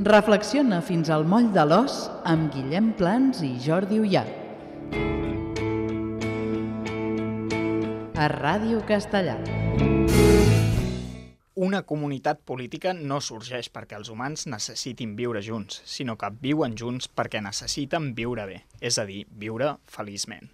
Reflexiona fins al moll de l'os amb Guillem Plans i Jordi Ullà. A Ràdio Castellà. Una comunitat política no sorgeix perquè els humans necessitin viure junts, sinó que viuen junts perquè necessiten viure bé, és a dir, viure feliçment.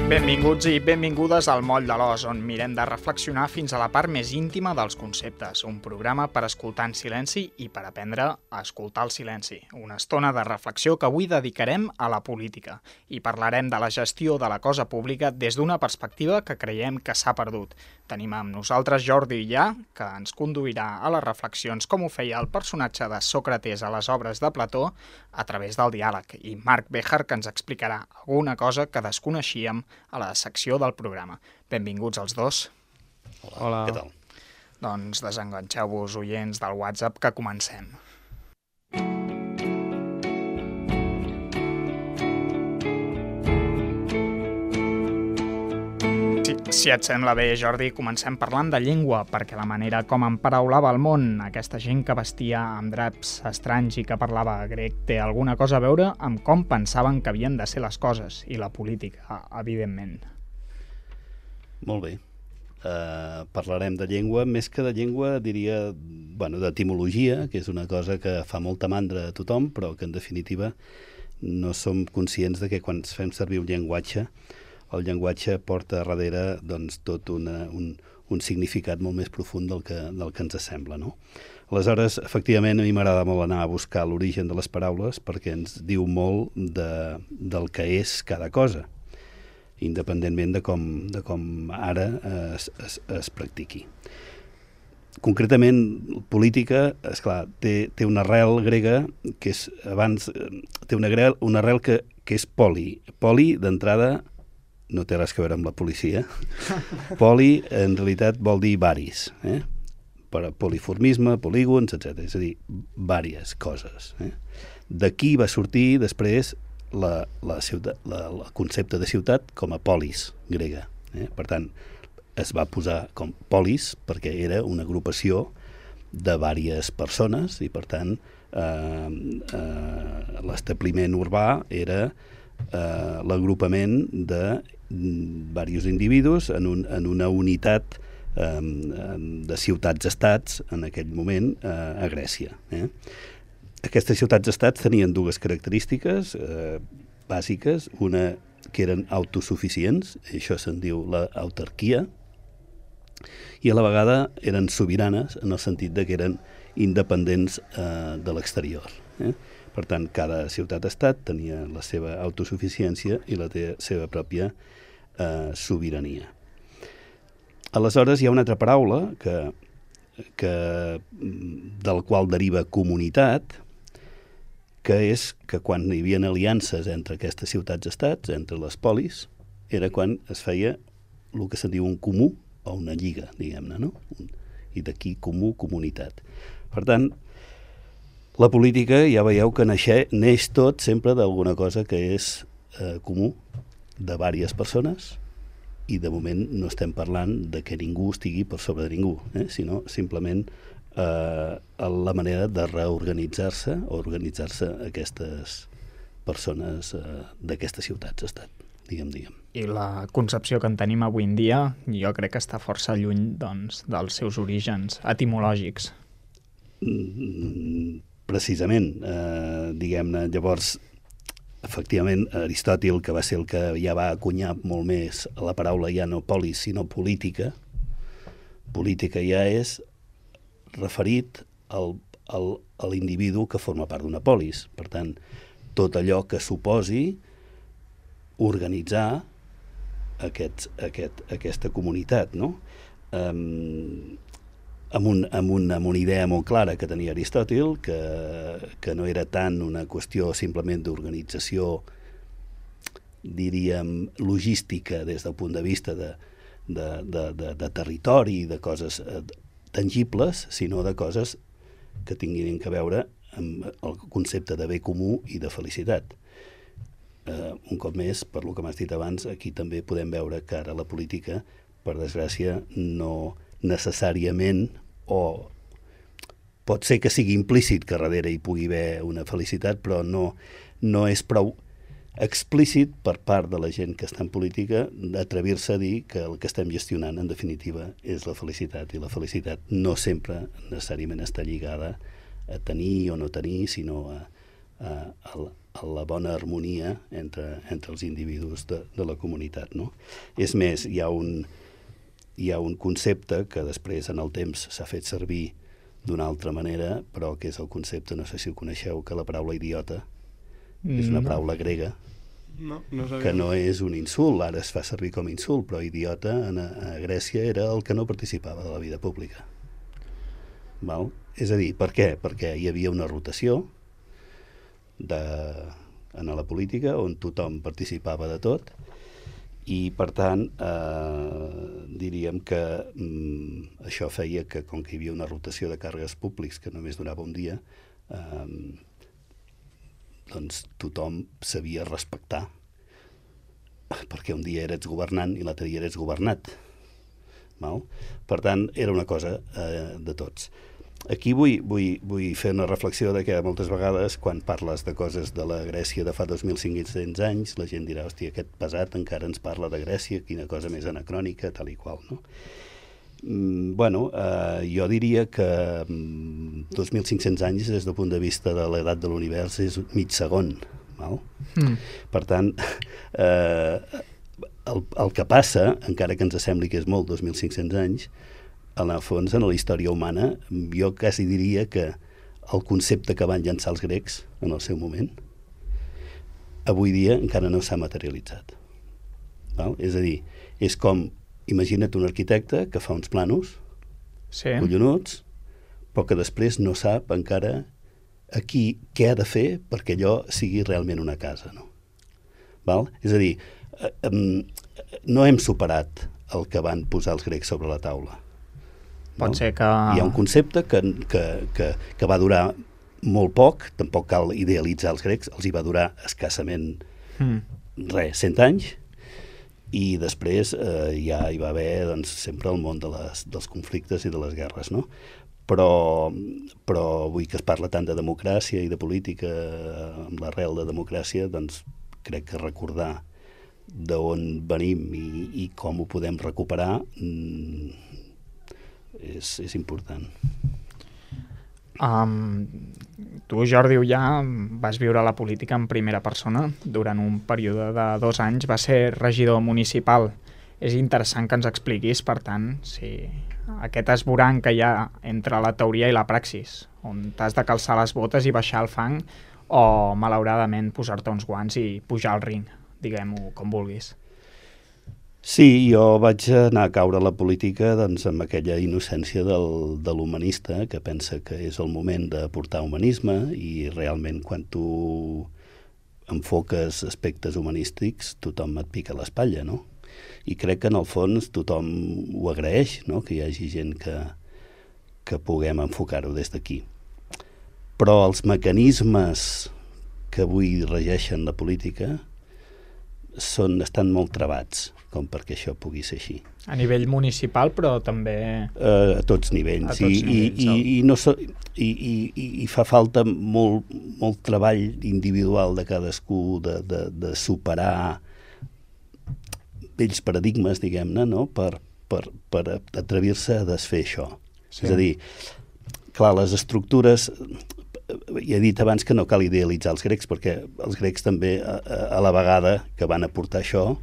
Benvinguts i benvingudes al Moll de l'Os, on mirem de reflexionar fins a la part més íntima dels conceptes. Un programa per escoltar en silenci i per aprendre a escoltar el silenci. Una estona de reflexió que avui dedicarem a la política. I parlarem de la gestió de la cosa pública des d'una perspectiva que creiem que s'ha perdut. Tenim amb nosaltres Jordi Ullà, que ens conduirà a les reflexions com ho feia el personatge de Sòcrates a les obres de Plató a través del diàleg, i Marc Béjar, que ens explicarà alguna cosa que desconeixíem a la secció del programa. Benvinguts els dos. Hola. Què tal? Doncs desenganxeu-vos, oients del WhatsApp, que comencem. Si et sembla bé, Jordi, comencem parlant de llengua, perquè la manera com emparaulava el món aquesta gent que vestia amb draps estranys i que parlava grec té alguna cosa a veure amb com pensaven que havien de ser les coses, i la política, evidentment. Molt bé. Parlarem de llengua, més que de llengua diria, d'etimologia, que és una cosa que fa molta mandra a tothom, però que en definitiva no som conscients de que quan fem servir un llenguatge, el llenguatge porta darrere tot un significat molt més profund del que ens sembla, no? Aleshores, efectivament, a mi m'agrada molt anar a buscar l'origen de les paraules perquè ens diu molt del que és cada cosa, independentment de com ara es practiqui. Concretament, política, esclar, té una arrel grega que és abans té una arrel que és poli. Poli, d'entrada, no té res a veure amb la policia. Poli, en realitat, vol dir varis, per poliformisme, polígons, etc. És a dir, vàries coses. D'aquí va sortir després el concepte de ciutat com a polis grega. Per tant, es va posar com polis perquè era una agrupació de vàries persones i, per tant, l'establiment urbà era l'agrupament de diversos individus en una unitat de ciutats-estats en aquell moment a Grècia. Aquestes ciutats-estats tenien dues característiques bàsiques, una que eren autosuficients, això se'n diu l'autarquia, i a la vegada eren sobiranes en el sentit de que eren independents de l'exterior. Per tant, cada ciutat-estat tenia la seva autosuficiència i la seva pròpia sobirania. Aleshores, hi ha una altra paraula del qual deriva comunitat, que és que quan hi havia aliances entre aquestes ciutats-estats, entre les polis, era quan es feia el que se'n diu un comú o una lliga, diguem-ne, no? I d'aquí comú, comunitat. Per tant, la política, ja veieu que neix tot sempre d'alguna cosa que és comú, de diverses persones, i de moment no estem parlant de que ningú estigui per sobre de ningú, sinó simplement la manera de reorganitzar-se o organitzar-se aquestes persones d'aquestes ciutats-estat, diguem. I la concepció que en tenim avui en dia jo crec que està força lluny dels seus orígens etimològics. Precisament, diguem-ne, llavors, efectivament, Aristòtil, que va ser el que ja va acunyar molt més la paraula ja no polis, sinó política, política ja és referit a l'individu que forma part d'una polis. Per tant, tot allò que suposi organitzar aquesta comunitat, no? Amb una idea molt clara que tenia Aristòtil, que no era tant una qüestió simplement d'organització, diríem, logística des del punt de vista de territori, de coses tangibles, sinó de coses que tinguin a veure amb el concepte de bé comú i de felicitat. Un cop més, per lo que m'has dit abans, aquí també podem veure que ara la política, per desgràcia, no necessàriament, o pot ser que sigui implícit que darrere hi pugui haver una felicitat, però no és prou explícit per part de la gent que està en política d'atrevir-se a dir que el que estem gestionant, en definitiva, és la felicitat. I la felicitat no sempre necessàriament està lligada a tenir o no tenir, sinó a la bona harmonia entre els individus de la comunitat, no? És més, hi ha un concepte que després en el temps s'ha fet servir d'una altra manera, però que és el concepte, no sé si ho coneixeu, que la paraula idiota és una paraula grega que no és un insult, ara es fa servir com a insult, però idiota a Grècia era el que no participava de la vida pública. Val? És a dir, per què? Perquè hi havia una rotació en la política on tothom participava de tot i, per tant, diríem que això feia que, com que hi havia una rotació de càrregues públics que només durava un dia, doncs tothom sabia respectar, perquè un dia eres governant i l'altre dia eres governat. Val? Per tant, era una cosa de tots. Aquí vull fer una reflexió de que moltes vegades, quan parles de coses de la Grècia de fa 2.500 anys, la gent dirà, hòstia, aquest pesat encara ens parla de Grècia, quina cosa més anacrònica, tal i qual, no? Jo diria que 2.500 anys des del punt de vista de l'edat de l'univers és mig segon. Val? Per tant, el que passa, encara que ens sembli que és molt 2.500 anys, en el fons, en la història humana, jo quasi diria que el concepte que van llançar els grecs en el seu moment, avui dia encara no s'ha materialitzat. Val? És a dir, és com imagina't un arquitecte que fa uns planos collonuts, però que després no sap encara aquí què ha de fer perquè allò sigui realment una casa. No? Val? És a dir, no hem superat el que van posar els grecs sobre la taula. Pot ser que... Hi ha un concepte que va durar molt poc, tampoc cal idealitzar els grecs, els hi va durar escassament 100 anys, i després ja hi va haver sempre el món dels conflictes i de les guerres, no? Però vull que es parla tant de democràcia i de política amb l'arrel de democràcia, doncs crec que recordar d'on venim i com ho podem recuperar és important. Tu, Jordi Ullà, vas viure la política en primera persona. Durant un període de 2 anys vas ser regidor municipal. És interessant que ens expliquis, per tant, si aquest esborrany que hi ha entre la teoria i la praxis, on t'has de calçar les botes i baixar el fang, o, malauradament, posar-te uns guants i pujar al ring, diguem-ho com vulguis. Sí, jo vaig anar a caure a la política amb aquella innocència de l'humanista que pensa que és el moment de portar humanisme i realment quan tu enfoques aspectes humanístics tothom et pica l'espatlla, no? I crec que en el fons tothom ho agraeix, no? Que hi hagi gent que puguem enfocar-ho des d'aquí. Però els mecanismes que avui regeixen la política estan molt travats com perquè això pugui ser així. A nivell municipal, però també... A tots nivells. I fa falta molt treball individual de cadascú, de superar vells paradigmes, diguem-ne, no? per atrevir-se a desfer això. Sí. És a dir, clar, les estructures... Ja he dit abans que no cal idealitzar els grecs, perquè els grecs també, a la vegada que van aportar això,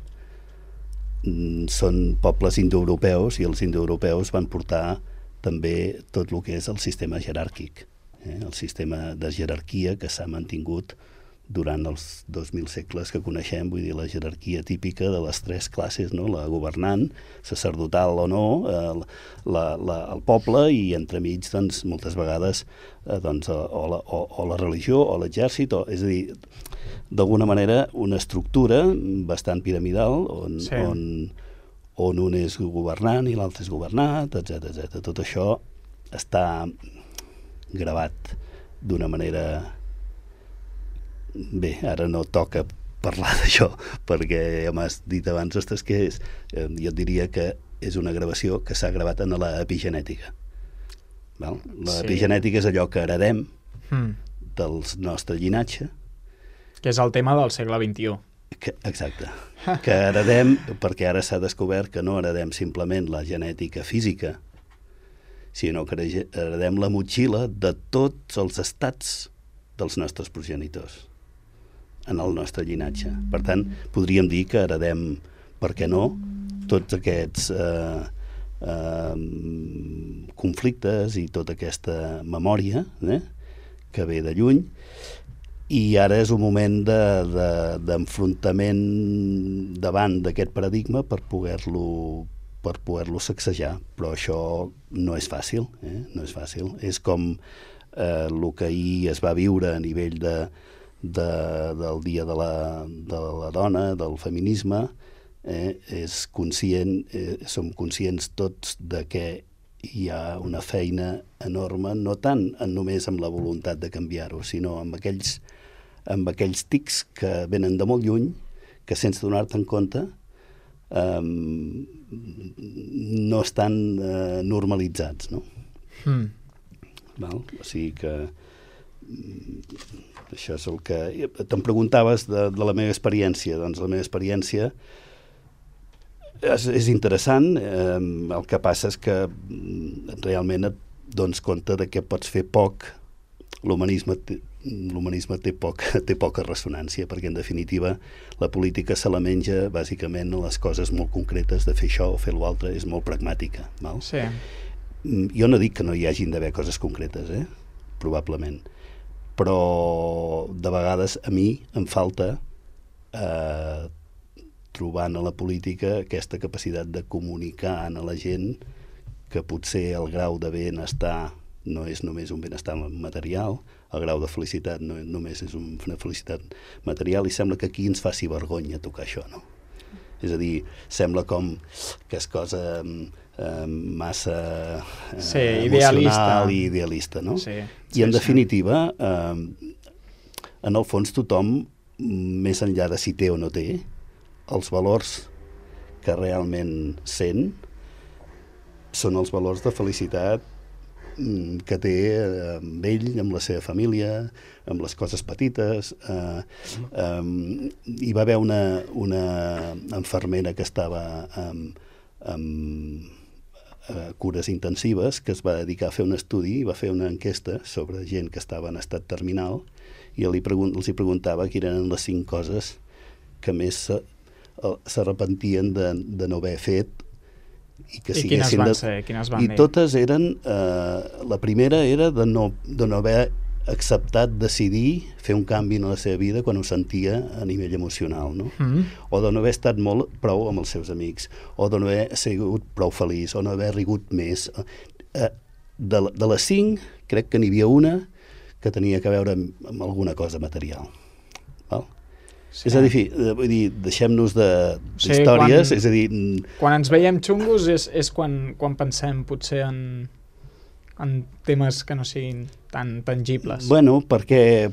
són pobles indoeuropeus i els indoeuropeus van portar també tot el que és el sistema jeràrquic, el sistema de jerarquia que s'ha mantingut durant els 2.000 segles que coneixem, vull dir, la jerarquia típica de les 3 classes, no? La governant, sacerdotal o no, el poble i entremig, doncs, moltes vegades o la religió o l'exèrcit, és a dir, d'alguna manera una estructura bastant piramidal on un és governant i l'altre és governat, etc. Tot això està gravat d'una manera... Bé, ara no toca parlar d'això, perquè ja m'has dit abans, ostres, què és? Jo et diria que és una gravació que s'ha gravat en l'epigenètica. L'epigenètica és allò que heredem del nostre llinatge. Que és el tema del segle XXI. Exacte. Que heredem, perquè ara s'ha descobert que no heredem simplement la genètica física, sinó que heredem la motxilla de tots els estats dels nostres progenitors en el nostre llinatge. Per tant, podríem dir que heredem, per què no, tots aquests conflictes i tota aquesta memòria que ve de lluny, i ara és un moment d'enfrontament davant d'aquest paradigma per poder-lo sacsejar, però això no és fàcil, no és fàcil. És com el que ahir es va viure a nivell del Dia de la Dona, del feminisme, som conscients tots de que hi ha una feina enorme, no tant només amb la voluntat de canviar-ho, sinó amb aquells tics que venen de molt lluny, que sense donar-te en compte no estan normalitzats, no? Val? O sigui que això és el que... Te'm preguntaves de la meva experiència. Doncs la meva experiència és interessant. El que passa és que realment et dones compte de que pots fer poc. L'humanisme té poca ressonància, perquè en definitiva la política se la menja bàsicament a les coses molt concretes de fer això o fer l'altre, és molt pragmàtica. Val? Sí. Jo no dic que no hi hagin d'haver coses concretes, probablement, però de vegades a mi em falta trobant a la política aquesta capacitat de comunicar a la gent que potser el grau de benestar no és només un benestar material, el grau de felicitat no només és una felicitat material, i sembla que aquí ens faci vergonya tocar això, no? És a dir, sembla com que és cosa massa emocional i idealista, no? Sí, I en definitiva, en el fons tothom, més enllà de si té o no té, els valors que realment sent són els valors de felicitat que té amb ell, amb la seva família, amb les coses petites. Hi va haver una infermera que estava amb cures intensives, que es va dedicar a fer un estudi i va fer una enquesta sobre gent que estava en estat terminal, i els hi preguntava quines eren les 5 coses que més s'arrepentien de no haver fet, i quines van ser? I totes eren... la primera era de no haver acceptat decidir fer un canvi en la seva vida quan ho sentia a nivell emocional, no? O de no haver estat prou amb els seus amics, o de no haver sigut prou feliç, o no haver rigut més. De les 5, crec que n'hi havia una que tenia que veure amb alguna cosa material. Val? Sí. És a dir, vull dir, deixem-nos d'històries, és a dir... Quan ens veiem xungos és quan pensem potser en temes que no siguin tan tangibles. Bueno, perquè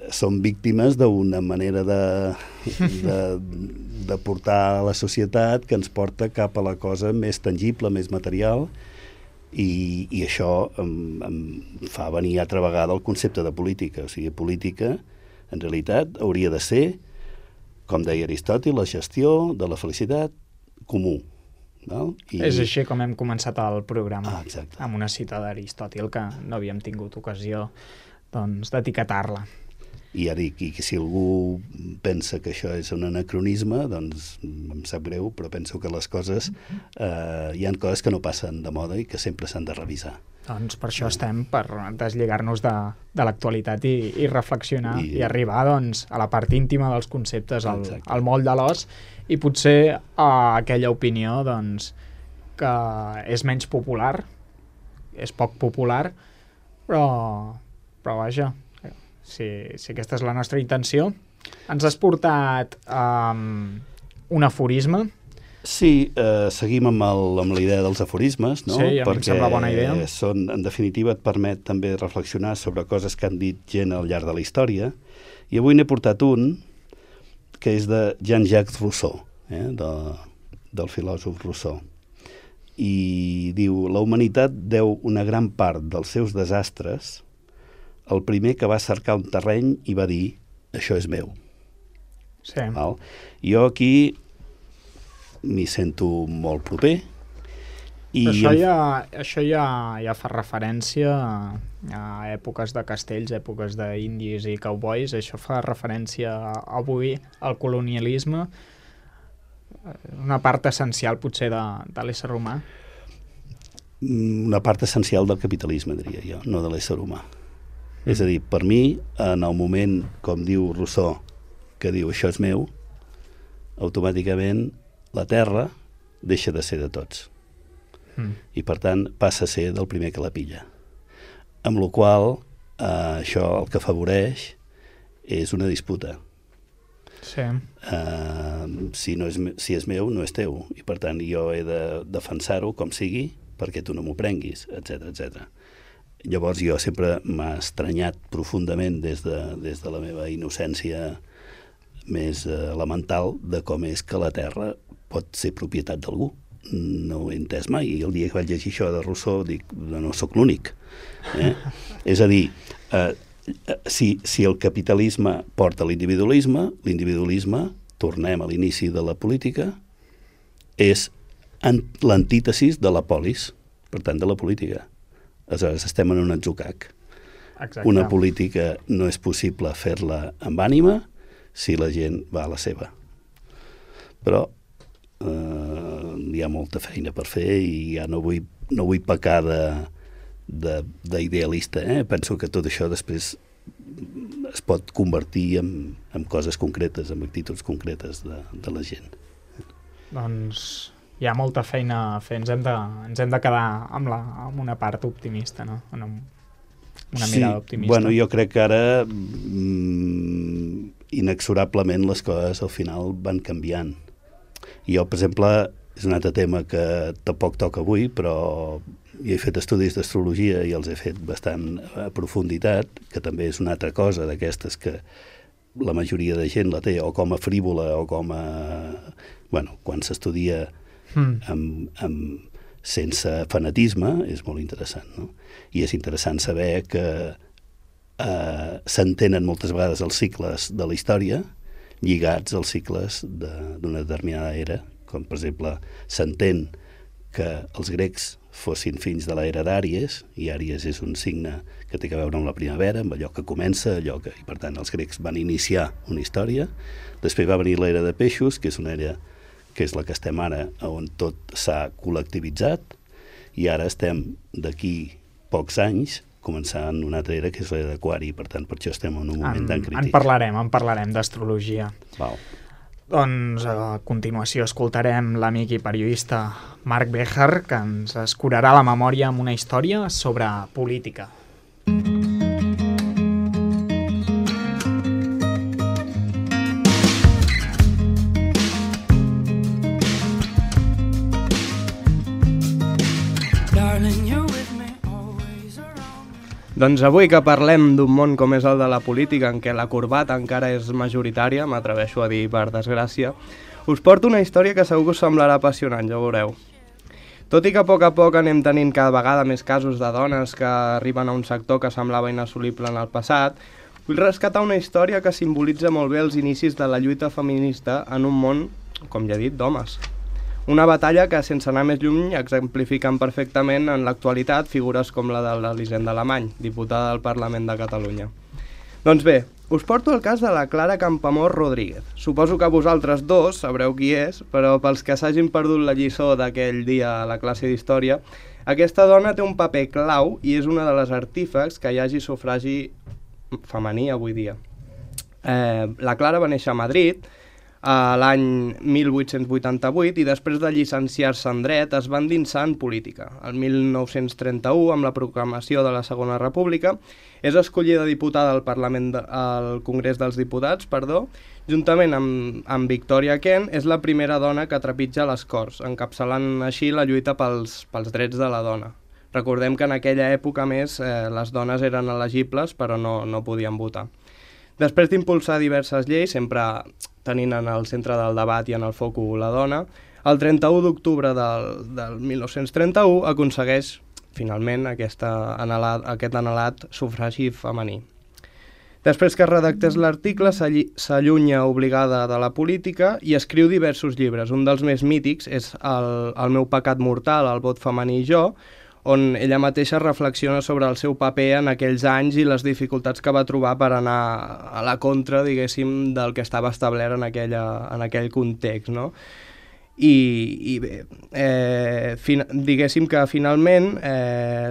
som víctimes d'una manera de portar a la societat que ens porta cap a la cosa més tangible, més material, i això em fa venir altra vegada el concepte de política. O sigui, política, en realitat, hauria de ser, com deia Aristòtil, la gestió de la felicitat comú. Val? És així com hem començat el programa, exacte. Amb una cita d'Aristòtil que no havíem tingut ocasió d'etiquetar-la. I ja dic, i si algú pensa que això és un anacronisme, doncs em sap greu, però penso que les coses, hi ha coses que no passen de moda i que sempre s'han de revisar. Doncs per això estem, per deslligar-nos de l'actualitat i reflexionar i arribar doncs, a la part íntima dels conceptes, al moll de l'os, i potser a aquella opinió doncs, que és menys popular, és poc popular, però vaja, si aquesta és la nostra intenció. Ens has portat un aforisme Sí, seguim amb la idea dels aforismes, no? Sí, a mi em sembla bona idea. Perquè en definitiva, et permet també reflexionar sobre coses que han dit gent al llarg de la història. I avui n'he portat un que és de Jean-Jacques Rousseau, del filòsof Rousseau. I diu: la humanitat deu una gran part dels seus desastres al primer que va cercar un terreny i va dir: això és meu. Sí. Val? Jo aquí m'hi sento molt proper. Això ja fa referència a èpoques de castells, èpoques d'indis i cowboys. Això fa referència avui al colonialisme, una part essencial potser de l'ésser humà. Una part essencial del capitalisme, diria jo, no de l'ésser humà. És a dir, per mi, en el moment, com diu Rousseau, que diu això és meu, automàticament la terra deixa de ser de tots. I per tant passa a ser del primer que la pilla. Amb la qual això el que afavoreix és una disputa. Sí. Si és meu, no és teu. I per tant jo he de defensar-ho com sigui perquè tu no m'ho prenguis, etc etc. Llavors jo sempre m'ha estranyat profundament des de la meva innocència més elemental de com és que la terra pot ser propietat d'algú. No ho he entès mai, i el dia que vaig llegir això de Rousseau dic, no sóc l'únic. És a dir, si el capitalisme porta a l'individualisme, tornem a l'inici de la política, és l'antítesis de la polis, per tant de la política. Aleshores estem en un atzucac. Exacte. Una política no és possible fer-la amb ànima si la gent va a la seva. Però hi ha molta feina per fer i ja no vull pecar d'idealista. Penso que tot això després es pot convertir en coses concretes, en actituds concretes de la gent. Doncs hi ha molta feina a fer. Ens hem de quedar amb una part optimista, no? Una mirada optimista. Bueno, jo crec que ara inexorablement les coses al final van canviant. Jo, per exemple, és un altre tema que tampoc toca avui, però jo he fet estudis d'astrologia i els he fet bastant a profunditat, que també és una altra cosa d'aquestes que la majoria de gent la té o com a frívola o com a... Bueno, quan s'estudia sense fanatisme és molt interessant, no? I és interessant saber que s'entenen moltes vegades els cicles de la història lligats als cicles d'una determinada era, com per exemple s'entén que els grecs fossin fills de l'era d'Àries, i Àries és un signe que té a veure amb la primavera, amb allò que comença, i per tant els grecs van iniciar una història. Després va venir l'era de peixos, que és una era que és la que estem ara, on tot s'ha col·lectivitzat, i ara estem d'aquí pocs anys començant una altra era, que és l'era d'Aquari, per tant, per això estem en un moment tan crític. En parlarem d'astrologia. Val. Doncs a continuació escoltarem l'amic i periodista Marc Béjar, que ens escurarà la memòria amb una història sobre política. Doncs avui que parlem d'un món com és el de la política, en què la corbata encara és majoritària, m'atreveixo a dir per desgràcia, us porto una història que segur que us semblarà apassionant, ja ho veureu. Tot i que a poc anem tenint cada vegada més casos de dones que arriben a un sector que semblava inassolible en el passat, vull rescatar una història que simbolitza molt bé els inicis de la lluita feminista en un món, com ja he dit, d'homes. Una batalla que, sense anar més lluny, exemplifiquen perfectament en l'actualitat figures com la de l'Elisenda Alemany, diputada del Parlament de Catalunya. Doncs bé, us porto el cas de la Clara Campoamor Rodríguez. Suposo que vosaltres dos sabreu qui és, però pels que s'hagin perdut la lliçó d'aquell dia a la classe d'història, aquesta dona té un paper clau i és una de les artífex que hi hagi sufragi femení avui dia. La Clara va néixer a Madrid l'any 1888 i després de llicenciar-se en dret es va endinsar en política. El 1931, amb la proclamació de la Segona República, és escollida diputada al Congrés dels Diputats, juntament amb Victoria Kent, és la primera dona que trepitja les Corts, encapçalant així la lluita pels drets de la dona. Recordem que en aquella època, més, les dones eren elegibles però no podien votar. Després d'impulsar diverses lleis, sempre tenint en el centre del debat i en el focus la dona, el 31 d'octubre del 1931 aconsegueix finalment aquest anhelat sufragi femení. Després que redactés l'article, s'allunya obligada de la política i escriu diversos llibres. Un dels més mítics és El meu pecat mortal, el vot femení i jo, on ella mateixa reflexiona sobre el seu paper en aquells anys i les dificultats que va trobar per anar a la contra, diguéssim, del que estava establert en aquell context, no? I bé, diguéssim que finalment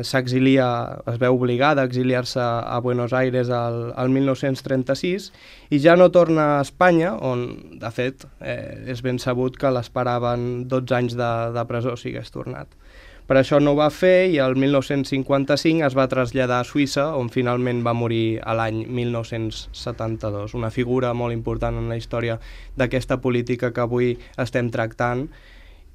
s'exilia, es veu obligada a exiliar-se a Buenos Aires el 1936 i ja no torna a Espanya, on, de fet, és ben sabut que l'esperaven 12 anys de presó si hagués tornat. Per això no ho va fer i el 1955 es va traslladar a Suïssa, on finalment va morir a l'any 1972. Una figura molt important en la història d'aquesta política que avui estem tractant.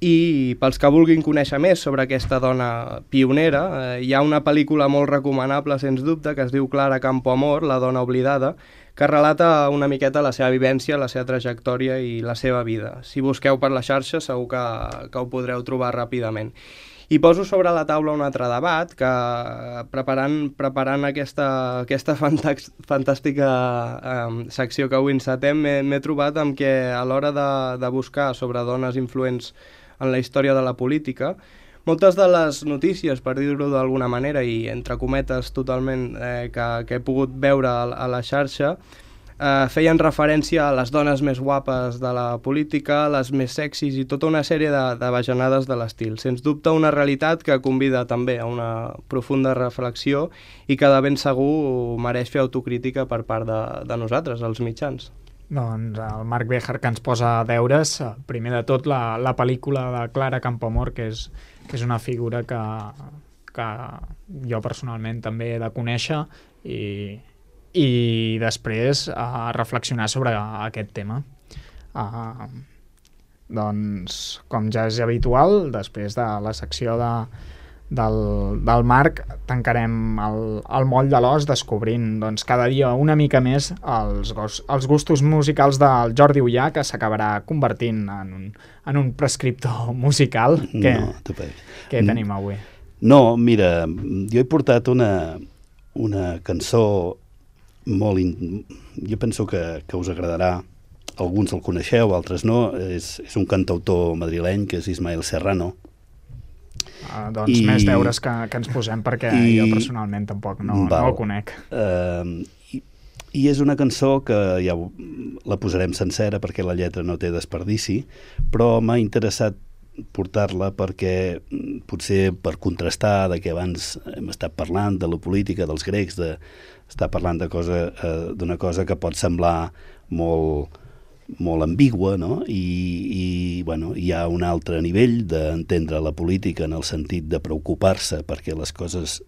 I pels que vulguin conèixer més sobre aquesta dona pionera, hi ha una pel·lícula molt recomanable, sens dubte, que es diu Clara Campoamor, la dona oblidada, que relata una miqueta la seva vivència, la seva trajectòria i la seva vida. Si busqueu per la xarxa segur que ho podreu trobar ràpidament. I poso sobre la taula un altre debat que, preparant aquesta fantàstica secció que avui encetem, m'he trobat amb que a l'hora de buscar sobre dones influents en la història de la política, moltes de les notícies, per dir-ho d'alguna manera, i entre cometes totalment, que he pogut veure a la xarxa, feien referència a les dones més guapes de la política, les més sexis i tota una sèrie de bajanades de l'estil. Sens dubte una realitat que convida també a una profunda reflexió i que de ben segur mereix fer autocrítica per part de nosaltres, els mitjans. Doncs el Marc Béjar, que ens posa deures, primer de tot la pel·lícula de Clara Campoamor, que és una figura que jo personalment també he de conèixer i després reflexionar sobre aquest tema. Doncs, com ja és habitual, després de la secció del Marc, tancarem el moll de l'os descobrint cada dia una mica més els gustos musicals del Jordi Ullà, que s'acabarà convertint en un prescriptor musical. Què tenim avui? No, mira, jo he portat una cançó jo penso que us agradarà. Alguns el coneixeu, altres no. És un cantautor madrileny que és Ismael Serrano. Doncs més deures que ens posem, perquè jo personalment tampoc no el conec. I és una cançó que ja la posarem sencera perquè la lletra no té desperdici, però m'ha interessat portar-la perquè potser per contrastar de que abans hem estat parlant de la política dels grecs, d'estar parlant d'una cosa que pot semblar molt ambigua, no? I hi ha un altre nivell d'entendre la política en el sentit de preocupar-se perquè les coses,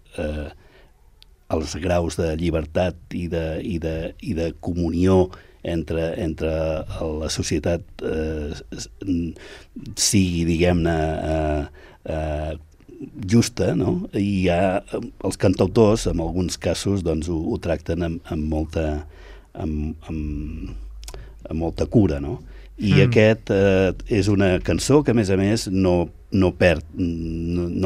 els graus de llibertat i de comunió entre la societat sigui, diguem-ne, justa, no? I hi ha els cantautors, en alguns casos, doncs ho tracten amb molta cura, no? I aquest és una cançó que, a més, no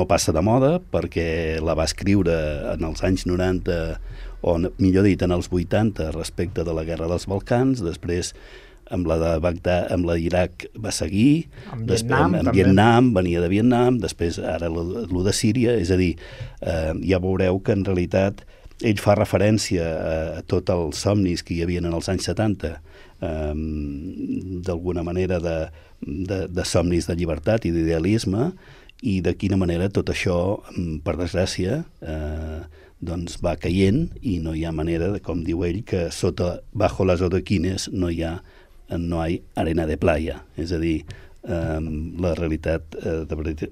passa de moda, perquè la va escriure en els anys 90, o millor dit, en els 80, respecte de la Guerra dels Balcans. Després, amb la de Bagdad, amb la d'Iraq va seguir, amb Vietnam, venia de Vietnam, després ara lo de Síria. És a dir, ja veureu que en realitat ell fa referència a tots els somnis que hi havia en els anys 70, d'alguna manera de somnis de llibertat i d'idealisme, i de quina manera tot això, per desgràcia, doncs va caient, i no hi ha manera, com diu ell, que bajo les adoquines no hi ha no hay arena de playa. És a dir, la realitat de veritat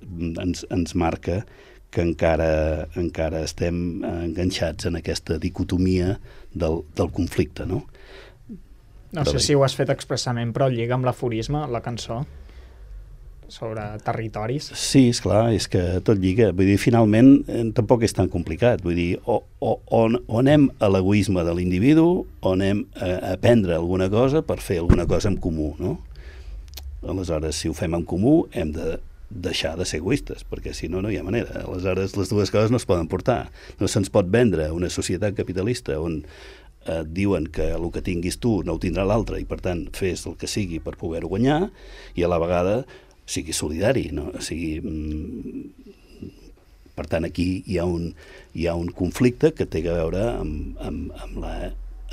ens marca que encara estem enganxats en aquesta dicotomia del conflicte, no? No sé si ho has fet expressament, però lliga amb l'aforisme, la cançó, sobre territoris. Sí, esclar, és que tot lliga. Vull dir, finalment, tampoc és tan complicat. Vull dir, o anem a l'egoisme de l'individu o anem a aprendre alguna cosa per fer alguna cosa en comú, no? Aleshores, si ho fem en comú, hem de deixar de ser egoistes, perquè si no, no hi ha manera. Aleshores, les dues coses no es poden portar. No se'ns pot vendre una societat capitalista on et diuen que el que tinguis tu no ho tindrà l'altre i, per tant, fes el que sigui per poder-ho guanyar i a la vegada sigui solidari, no? Per tant, aquí hi ha un conflicte que té a veure amb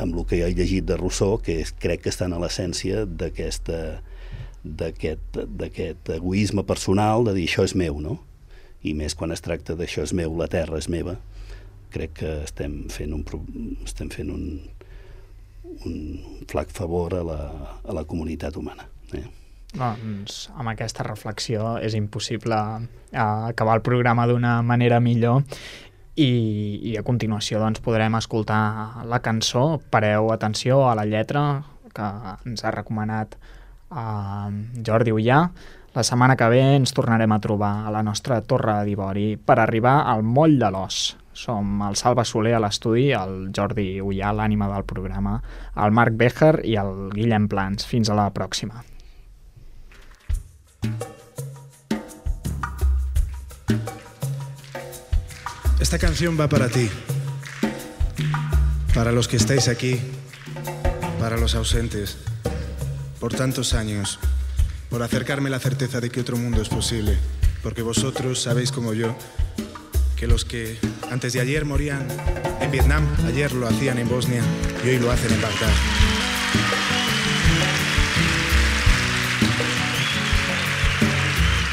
el que he llegit de Rousseau, que crec que estan a l'essència d'aquest egoisme personal de dir això és meu, no? I més quan es tracta d'això és meu, la terra és meva. Crec que estem fent un flac favor a la comunitat humana. Doncs amb aquesta reflexió és impossible acabar el programa d'una manera millor i a continuació doncs, podrem escoltar la cançó. Pareu atenció a la lletra que ens ha recomanat Jordi Ullà. La setmana que ve ens tornarem a trobar a la nostra Torre d'Ivori per arribar al Moll de l'Os. Som el Salva Soler a l'estudi, el Jordi Ullà, l'ànima del programa, el Marc Béjar i el Guillem Plans. Fins a la pròxima. Esta canción va para ti, para los que estáis aquí, para los ausentes, por tantos años, por acercarme la certeza de que otro mundo es posible, porque vosotros sabéis como yo que los que antes de ayer morían en Vietnam, ayer lo hacían en Bosnia y hoy lo hacen en Bagdad.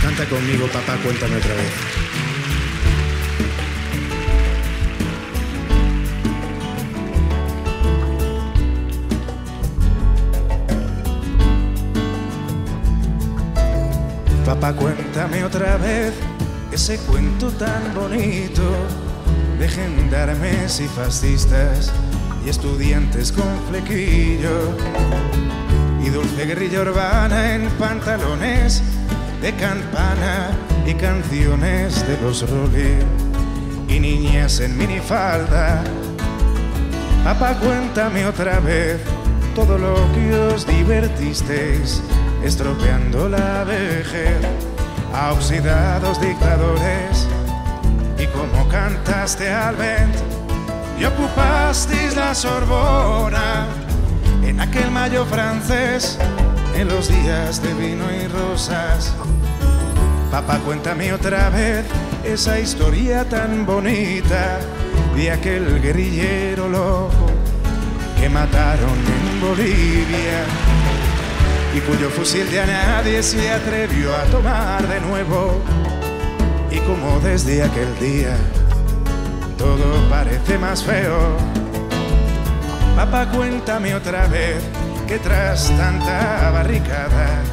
Canta conmigo, papá, cuéntame otra vez. Papá, cuéntame otra vez ese cuento tan bonito de gendarmes y fascistas y estudiantes con flequillo y dulce guerrilla urbana en pantalones de campana y canciones de los Rolling y niñas en minifalda. Papá, cuéntame otra vez todo lo que os divertisteis estropeando la vejez a oxidados dictadores y cómo cantaste al vent y ocupasteis la Sorbona en aquel mayo francés en los días de vino y rosas. Papá, cuéntame otra vez esa historia tan bonita de aquel guerrillero loco que mataron en Bolivia y cuyo fusil ya nadie se atrevió a tomar de nuevo y como desde aquel día todo parece más feo. Papá, cuéntame otra vez que tras tanta barricada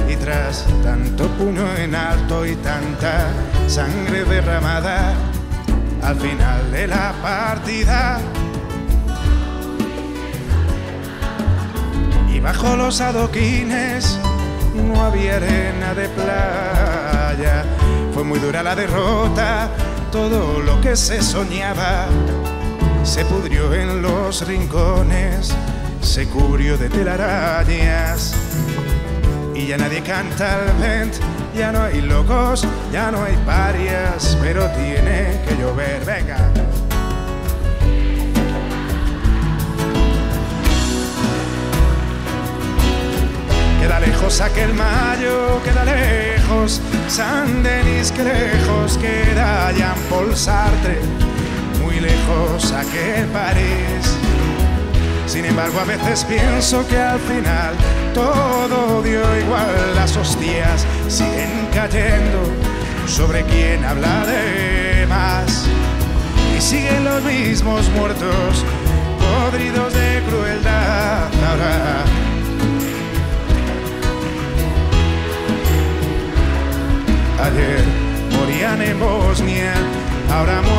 y tras tanto puño en alto y tanta sangre derramada al final de la partida y bajo los adoquines no había arena de playa. Fue muy dura la derrota, todo lo que se soñaba se pudrió en los rincones, se cubrió de telarañas y ya nadie canta al vent, ya no hay locos, ya no hay parias, pero tiene que llover, venga. Queda lejos aquel mayo, queda lejos Saint-Denis, que lejos queda Jean-Paul Sartre, muy lejos aquel París. Sin embargo, a veces pienso que al final todo dio igual, las hostias siguen cayendo sobre quien habla de más y siguen los mismos muertos podridos de crueldad. Ahora Ahora